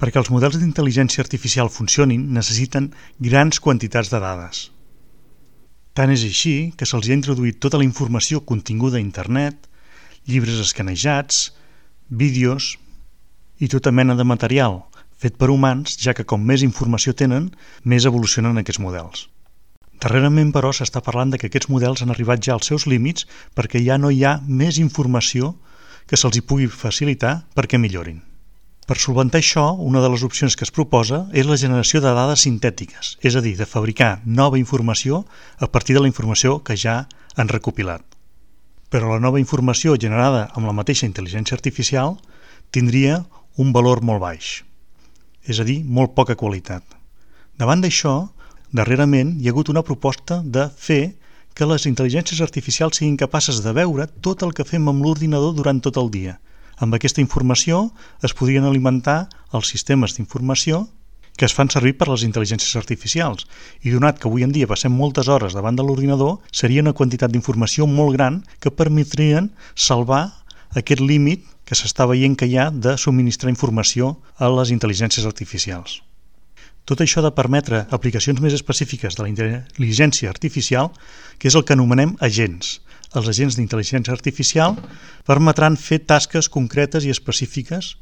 Perquè els models d'intel·ligència artificial funcionin, necessiten grans quantitats de dades. Tant és així que se'ls ha introduït tota la informació continguda a internet, llibres escanejats, vídeos i tota mena de material fet per humans, ja que com més informació tenen, més evolucionen aquests models. Darrerament, però, s'està parlant de que aquests models han arribat ja als seus límits perquè ja no hi ha més informació que se'ls hi pugui facilitar perquè millorin. Per solventar això, una de les opcions que es proposa és la generació de dades sintètiques, és a dir, de fabricar nova informació a partir de la informació que ja han recopilat. Però la nova informació generada amb la mateixa intel·ligència artificial tindria un valor molt baix, és a dir, molt poca qualitat. Davant d'això, darrerament hi ha hagut una proposta de fer que les intel·ligències artificials siguin capaces de veure tot el que fem amb l'ordinador durant tot el dia. Amb aquesta informació es podrien alimentar els sistemes d'informació que es fan servir per les intel·ligències artificials i donat que avui en dia passem moltes hores davant de l'ordinador, seria una quantitat d'informació molt gran que permetrien salvar aquest límit que s'està veient que hi ha de subministrar informació a les intel·ligències artificials. Tot això ha de permetre aplicacions més específiques de la intel·ligència artificial, que és el que anomenem agents. Els agents d'intel·ligència artificial permetran fer tasques concretes i específiques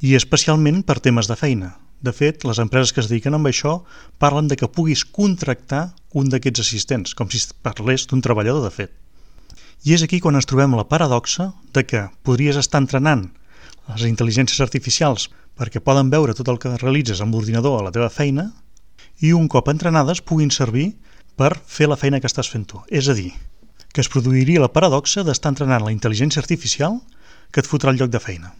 i especialment per temes de feina. De fet, les empreses que es dediquen a això parlen de que puguis contractar un d'aquests assistents, com si parlés d'un treballador de fet. I és aquí quan ens trobem la paradoxa de que podries estar entrenant les intel·ligències artificials perquè poden veure tot el que realitzes amb l'ordinador a la teva feina i un cop entrenades puguin servir per fer la feina que estàs fent tu. És a dir, que es produiria la paradoxa d'estar entrenant la intel·ligència artificial que et fotrà el lloc de feina.